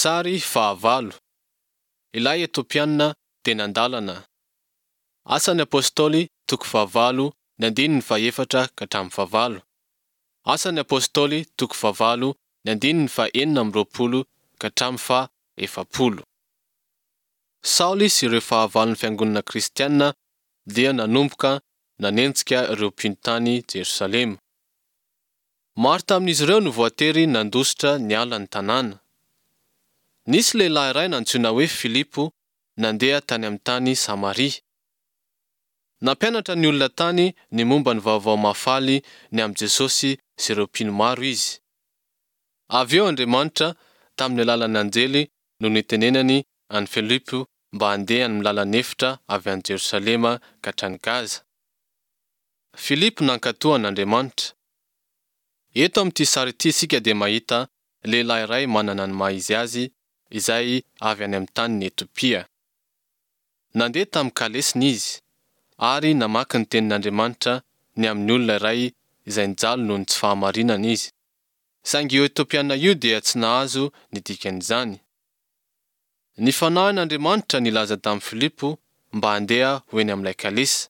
Sary fahavalo. Ilay Etiopiana teny an-dalana. Asan'ny Apostoly toko fahavalo ny andininy fahefatra ka hatramin'ny fahavalo. Asan'ny Apostoly toko fahavalo ny andininy faha-26 ka hatramin'ny faha-40. Saoly sy ireo fahavalon'ny fiangonana kristiana dia nanomboka nanenjika ireo mpino tany Jerosalema. Maro tamin'izy ireo no voatery nandositra niala ny tanàna. Nisy lehilahy iray nantsoina hoe Filipo nandeha tany amin'ny tany Samaria. Nampianatra ny olona tany ny momba ny vaovao mahafaly ny amin'i Jesosy sy ireo mpino maro izy. Avy eo Andriamanitra, tamin'ny alalan'ny anjely no nitenenany an'i Filipo mba handeha amin'ny lalan'efitra avy any Jerosalema ka hatrany Gaza. Filipo nankatò an'Andriamanitra. Eto amin'ity sary ity isika dia mahita lehilahy iray manana ny maha izy azy izay avy any amin'ny tanin'i Etiopia. Nandeha tamin'ny kalesiny izy, ary namaky ny tenin'Andriamanitra ny amin'ny olona iray izay nijaly noho ny tsy fahamarinana izy. Saingy io Etiopiana io dia tsy nahazo ny dikan'izany. Ny Fanahin'Andriamanitra nilaza tamin'i Filipo mba handeha ho eny amin'ilay kalesa.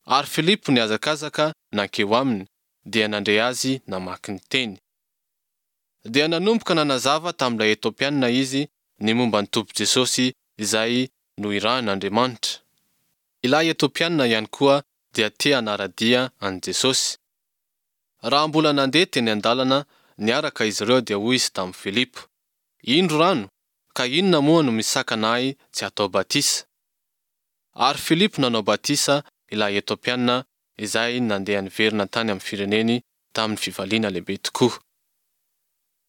Ary Filipo nihazakazaka nankeo aminy, dia nandre azy namaky ny teny. Dia nanomboka nanazava tamin'ilay Etiopiana izy ny momba ny Tompo Jesosy izay noirahin'Andriamanitra. Ilay Etiopiana ihany koa dia te hanara-dia an'i Jesosy. Raha mbola nandeha teny an-dalana niaraka izy ireo dia hoy izy tamin'i Filipo, Indro rano, ka inona moa no misakana ahy tsy hatao batisa? Ary Filipo nanao batisa ilay Etiopiana izay nandeha niverina tany amin'ny fireneny tamin'ny fifaliana lehibe tokoa.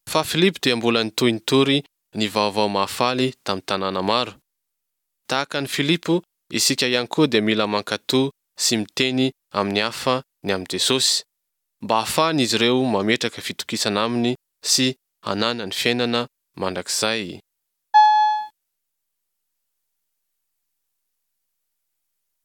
Fa Filipo dia mbola nitohy nitory ny vaovao mahafaly tamin'ny tanàna maro. Tahaka an'i Filipo, isika ihany koa dia mila mankatò sy miteny amin'ny hafa ny amin'i Jesosy, mba hahafahan'izy ireo mametraka fitokisana aminy sy hananany fiainana mandrakizay.